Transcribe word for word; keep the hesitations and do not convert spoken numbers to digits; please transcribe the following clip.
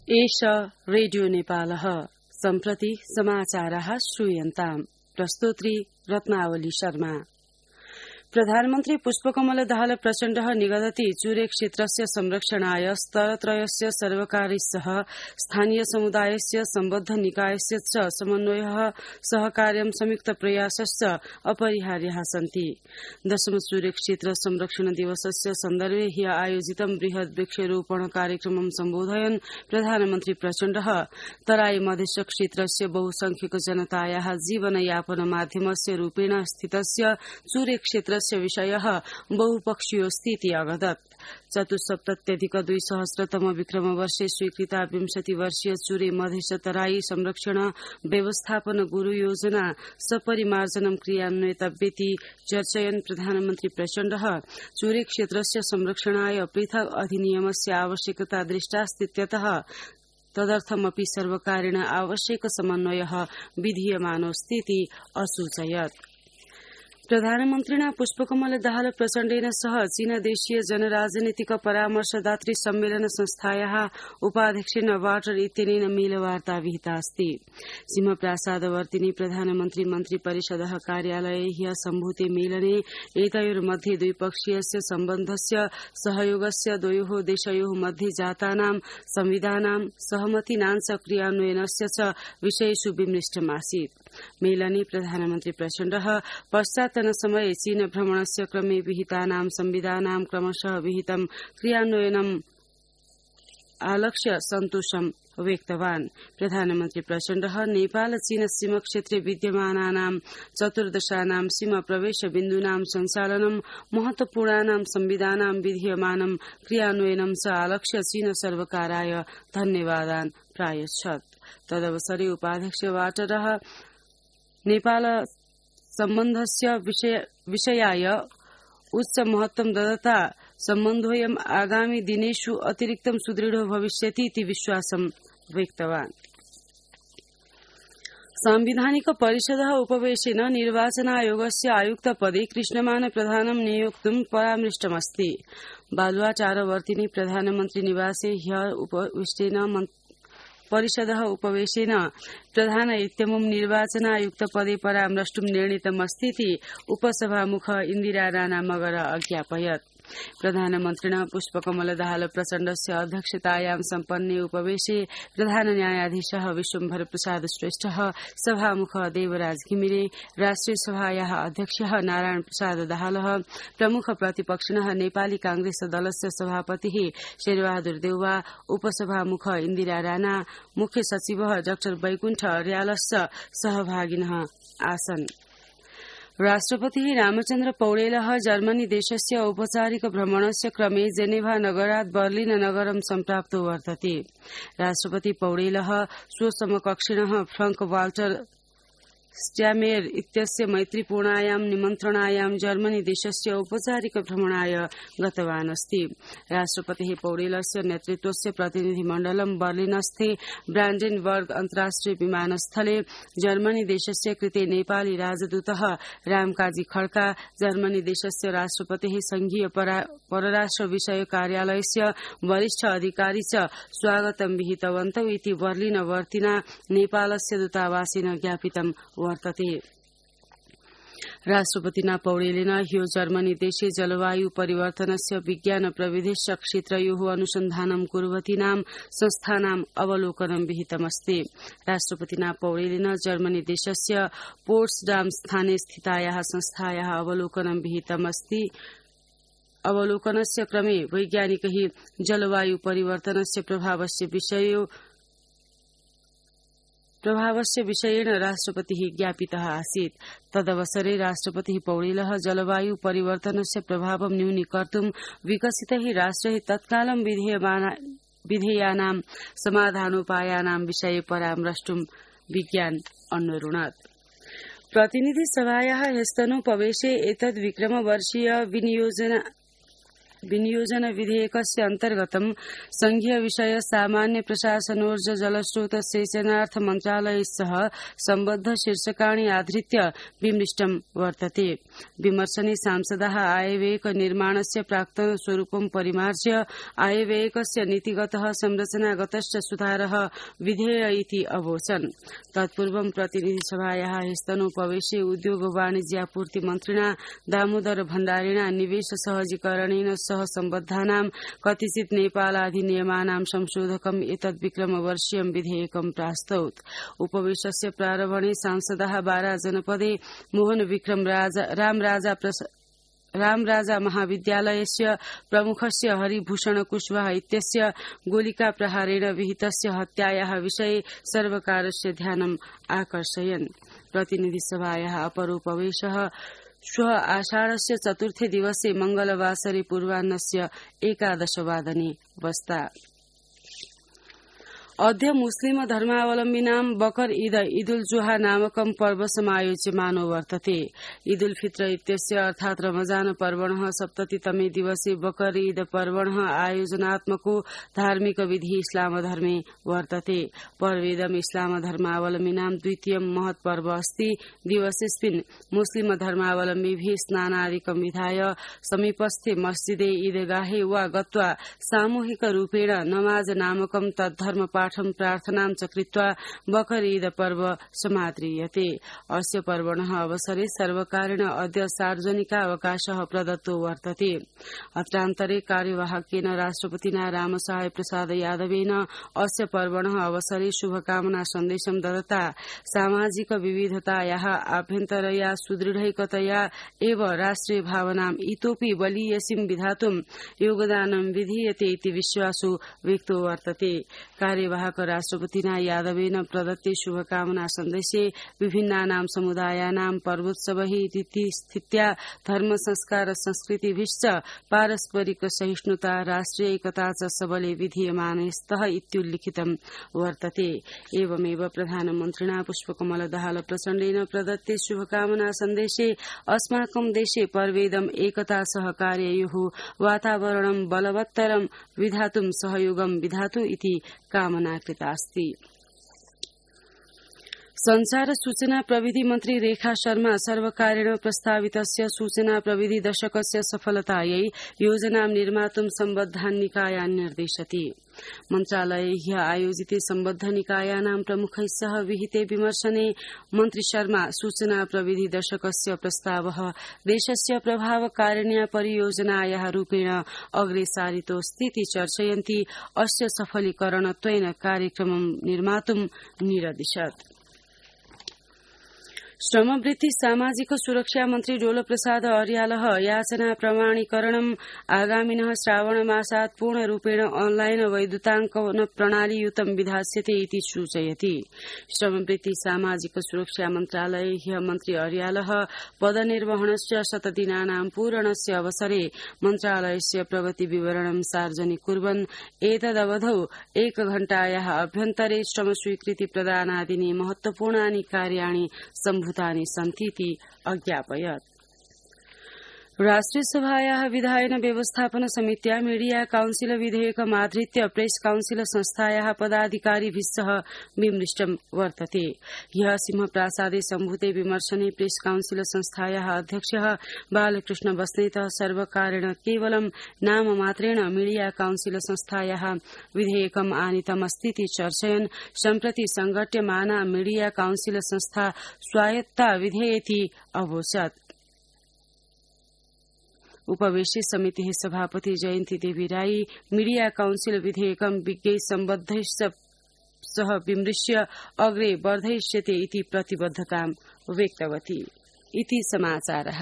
एष रेडियो नेपालः सम्प्रति समाचारः श्रूयन्ताम्। प्रस्तोत्री रत्नावली शर्मा। प्रधानमन्त्री पुष्पकमल दाहाल प्रचण्डः निगदति चुरे क्षेत्रस्य संरक्षणाय स्तरत्रयस्य सर्वकारीसह स्थानीय समुदायस्य सम्बद्ध निकायस्य च समन्वयः सहकार्यं संयुक्त प्रयासश्च अपरिहार्याः सन्ति। दशम चुरे क्षेत्र संरक्षण दिवसस्य सन्दर्भे ह्य आयोजितं बृहत् वृक्षारोपण कार्यक्रमं सम्बोधयन् प्रधानमन्त्री प्रचण्डः तराई मधेश क्षेत्रस्य बहुसंख्यक जनतायाः जीवनयापन माध्यमस्य रूपेण स्थितस्य चुरे क्षेत्र विषयः बहुपक्षीयोऽस्तीति अवदत्। चतुस्सप्तत्यधिक द्विसहस्रतम विक्रम वर्षे स्वीकृता विंशति वर्षीय चुरे मधेश तराई संरक्षण व्यवस्थापन गुरु योजना सपरिमार्जनं क्रियान्वयितव्येति चर्चयन् प्रधानमन्त्री प्रचण्डः चुरे क्षेत्रस्य संरक्षणाय पृथक् अधिनियमस्य आवश्यकता दृष्टास्तीत्यतः तदर्थमपि सर्वकारेण आवश्यक समन्वयः विधीयमानोऽस्तीति असूचयत्। प्रधानमन्त्रिणा पुष्पकमल दाहाल प्रचण्डेन सह चीनदेशीय जनराजनीतिक परामर्शदात्री सम्मेलन संस्थायाः उपाध्यक्षेण वाटर इत्यनेन मेलवार्ता विहिता अस्ति। सिंहप्रासादवर्तिनि प्रधानमन्त्री मन्त्री परिषदः कार्यालये ह्यः सम्भूते मेलने एतयोर्मध्ये द्विपक्षीयस्य सम्बन्धस्य सहयोगस्य द्वयोः देशयोः मध्ये जातानां संविधानां सहमतीनाञ्च क्रियान्वयनस्य च विषयेषु विमृष्टमासीत्। मेलने प्रधानमन्त्री प्रचण्डः पश्चात्तनसमये चीन भ्रमणस्य क्रमे विहितानां संविधानां क्रमशः विहितं क्रियान्वयनम् आलक्ष्य सन्तोषं व्यक्तवान्। प्रधानमन्त्री प्रचण्डः नेपाल चीन सीमा क्षेत्रे विद्यमानानां चतुर्दशानां सीमा प्रवेश बिन्दूनां सञ्चालनं महत्वपूर्णानां संविधानां विधीयमानं क्रियान्वयनं च आलक्ष्य चीन सर्वकाराय धन्यवादान् प्रायच्छत्। तदवसरे उपाध्यक्ष वाटरः नेपाल सम्बन्धस्य विषयाय उच्च महत्वं ददता सम्बन्धोऽयम् आगामि दिनेषु अतिरिक्तं सुदृढो भविष्यति इति विश्वासं व्यक्तवान्। सांविधानिक परिषदः उपवेशेन निर्वाचन आयोगस्य आयुक्त पदे कृष्णमान प्रधानं नियोक्तुं परामृष्टमस्ति। बालुवाटारवर्तिनि प्रधानमन्त्री निवासे ह्यः उपविष्टेन परिषदः उपवेशेन प्रधान इत्यमुं निर्वाचन आयुक्त पदे परामृष्टुं निर्णीतमस्तीति उपसभामुख इन्दिरा राणा मगर अज्ञापयत्। प्रधानमन्त्रिणा पुष्पकमल दाहाल प्रचण्डस्य अध्यक्षतायां सम्पन्ने उपवेशे प्रधान न्यायाधीशः विश्वम्भर प्रसाद श्रेष्ठः, सभामुख देवराज घिमिरे, राष्ट्रिय सभायाः अध्यक्षः नारायण प्रसाद दाहालः, प्रमुख प्रतिपक्षिणः नेपाली कांग्रेस दलस्य सभापतिः शेरबहादुर देउवा, उपसभामुख इन्दिरा राणा, मुख्य सचिवः डाक्टर वैकुण्ठ अर्यालश्च सहभागिनः आसन्। राष्ट्रपतिः रामचन्द्र पौडेलः जर्मनी देशस्य औपचारिक भ्रमणस्य क्रमे जेनेभा नगरात् बर्लिन नगरं सम्प्राप्तो वर्तते। राष्ट्रपति पौडेलः स्वसमकक्षिणः फ्रंक वाल्टर स्ट्यामेयर इत्यस्य मैत्रीपूर्णायां निमन्त्रणायां जर्मनी देशस्य औपचारिक भ्रमणाय गतवान् अस्ति। राष्ट्रपतिः पौडेलस्य नेतृत्वस्य प्रतिनिधिमण्डलं बर्लिनस्थे ब्रान्डेनबर्ग अन्तर्राष्ट्रिय विमानस्थले जर्मनी देशस्य कृते नेपाली राजदूतः रामकाजी खड्का, जर्मनी देशस्य राष्ट्रपतिः संघीय परराष्ट्र विषय कार्यालयस्य वरिष्ठ अधिकारी च स्वागतं विहितवन्तौ इति बर्लिन वर्तिना नेपालस्य दूतावासेन ज्ञापितं वर्तते। राष्ट्रपतिना पौडेलेन ह्यो जर्मनी देशे जलवायु परिवर्तनस्य विज्ञान प्रविधिश्च क्षेत्रयोः अनुसन्धानं कुर्वतीनां संस्थानाम् अवलोकनं विहितमस्ति। राष्ट्रपतिना पौडेलेन जर्मनी देशस्य पोट्सडाम स्थाने स्थितायाः संस्थायाः अवलोकनं विहितमस्ति। अवलोकनस्य क्रमे वैज्ञानिकैः जलवायु परिवर्तनस्य प्रभावस्य विषयो प्रभावस्य विषयेण राष्ट्रपतिः ज्ञापितः आसीत्। तदवसरे राष्ट्रपतिः पौडेलः जलवायु परिवर्तनस्य प्रभावं न्यूनीकर्तुं विकसितैः राष्ट्रैः तत्कालं विधेयानां समाधानोपायानां विषये परामर्ष्टुं विज्ञान अन्वरुणत्। प्रतिनिधि सभायाः ह्यस्तनोपवेशे एतद् विक्रमवर्षीय विनियोजन विनियोजन विधेयकस्य अन्तर्गतं संघीय विषय सामान्य प्रशासनोर्ज जलस्रोत सेचनार्थ मन्त्रालय सह सम्बद्ध शीर्षकाणि आधृत्य विमृष्टं वर्तते। विमर्शने सांसदाः आयव्ययक निर्माणस्य प्राक्तन स्वरूपं परिमार्ज्य आयव्ययकस्य नीतिगतः संरचनागतश्च सुधारः विधेय इति अवोचन्। तत्पूर्वं प्रतिनिधिसभायाः स्तनोपवेशे उद्योग वाणिज्यापूर्ति मन्त्रिणा दामोदर भण्डारिणा निवेश सहजीकरणेन सह सम्बद्धानां कतिचित् नेपालाधिनियमानां संशोधकम् एतद्विक्रमवर्षीयं विधेयकं प्रास्तौत्। उपवेशस्य प्रारम्भणे सांसदाः बारा जनपदे मोहन विक्रम रामराजा रामराजा महाविद्यालयस्य प्रमुखस्य हरिभूषण कुशवाहा इत्यस्य गोलिकाप्रहारेण विहितस्य हत्यायाः विषये सर्वकारस्य ध्यानम् आकर्षयन्। प्रतिनिधिसभायाः अपरोपवेशः श्वः आषाढस्य चतुर्थे दिवसे मंगलवासरे पूर्वाह्नस्य एकादशवादने वस्ता। अद्य मुस्लिम धर्मावलम्बिनां बकर ईद ईदुल जुहा नामकं पर्व समायोज्यमानो वर्तते। ईदुल फित्र इत्यस्य अर्थात् रमजान पर्वणः सप्ततितमे दिवसे बकर ईद पर्वणः आयोजनात्मको धार्मिक विधि इस्लाम धर्मे वर्तते। पर्वेदम् इस्लाम धर्मावलम्बिनां द्वितीयं महत् पर्व अस्ति। दिवसेऽस्मिन् मुस्लिम धर्मावलम्बिभिः स्नानादिकं विधाय समीपस्थे मस्जिदे ईदगाहे वा गत्वा सामूहिक रूपेण नमाज नामकं तद्धर्म पाठं प्रार्थनां च कृत्वा बकर ईद पर्व समाद्रियते। अस्य पर्वणः अवसरे सर्वकारेण अद्य सार्वजनिकावकाशः प्रदत्तो वर्तते। अत्रान्तरे कार्यवाहकेन राष्ट्रपतिना रामसहाय प्रसाद यादवेन अस्य पर्वणः अवसरे शुभकामना सन्देशं दत्ता सामाजिक विविधतायाः आभ्यन्तरया सुदृढैकतया एव राष्ट्रिय भावनाम् इतोपि बलीयसीं विधातुं योगदानं विधीयते इति विश्वासो व्यक्तो वर्तते। कार्यवाहक राष्ट्रपतिना यादवेन प्रदत्ते शुभकामना सन्देशे विभिन्नानां समुदायानां पर्वोत्सवैः रीतिस्थित्या धर्म संस्कार संस्कृतिभिश्च पारस्परिक सहिष्णुता राष्ट्रियैकता च सबले विधीयमाने स्तः इत्युल्लिखितं वर्तते। एवमेव प्रधानमन्त्रिणा पुष्पकमल दाहाल प्रचण्डेन प्रदत्ते शुभकामना सन्देशे अस्माकं देशे पर्वेदम् एकता सहकार्ययोः वातावरणं बलवत्तरं विधातुं सहयोगं विधातु इति कामना कृतास्ति। संचार सूचना प्रविधि मन्त्री रेखा शर्मा सर्वकारेण प्रस्तावितस्य सूचना प्रविधि दशकस्य सफलतायै योजनां निर्मातुं सम्बद्धान् निकायान् निर्देशति। मन्त्रालये ह्यः आयोजिते सम्बद्ध निकायानां प्रमुखैः सह विहिते विमर्शने मन्त्री शर्मा सूचना प्रविधि दशकस्य प्रस्तावः देशस्य प्रभावकारिण्या परियोजनायाः रूपेण अग्रे सारितोऽस्तीति चर्चयन्ती अस्य सफलीकरणत्वेन कार्यक्रमं निर्मातुं निरदिशत्। श्रमवृत्ति सामाजिक सुरक्षा मन्त्री डोल प्रसाद अर्यालः याचना प्रमाणीकरणम् आगामिनः श्रावणमासात् पूर्णरूपेण ऑनलाइन वैद्युताङ्कन प्रणालीयुतं विधास्यते इति सूचयति। श्रमवृत्ति सामाजिक सुरक्षा मन्त्रालये ह्यः मन्त्री अर्यालः पदनिर्वहणस्य शतदिनानां पूरणस्य अवसरे मन्त्रालयस्य प्रगति विवरणं सार्वजनिक कुर्वन् एतदवधौ एकघण्टायाः अभ्यन्तरे श्रमस्वीकृति प्रदानादीनि महत्वपूर्णानि कार्याणि सम्भूतानि सन्तीति अज्ञापयत्। राष्ट्रियसभायाः विधायन व्यवस्थापन समित्या मीडिया काउन्सिल विधेयकमाधृत्य प्रेस काउन्सिल संस्थायाः पदाधिकारिभिः सह विमृष्टं वर्तते। ह्यः सिंहप्रासादे सम्भूते विमर्शने प्रेस काउन्सिल संस्थायाः अध्यक्षः बालकृष्ण बस्नेतः सर्वकारेण केवलं नाममात्रेण मीडिया काउन्सिल संस्थायाः विधेयकम् आनीतमस्तीति चर्चयन् सम्प्रति संघट्यमाना मीडिया काउन्सिल संस्था स्वायत्ता विधेयेति अवोचत्। उपवेशे समितिः सभापति जयन्ती देवी राई मीडिया काउन्सिल विधेयकं विज्ञैः सम्बद्धैश्च सह विमृश्य अग्रे वर्धयिष्यते इति प्रतिबद्धतां व्यक्तवती। इति समाचारः।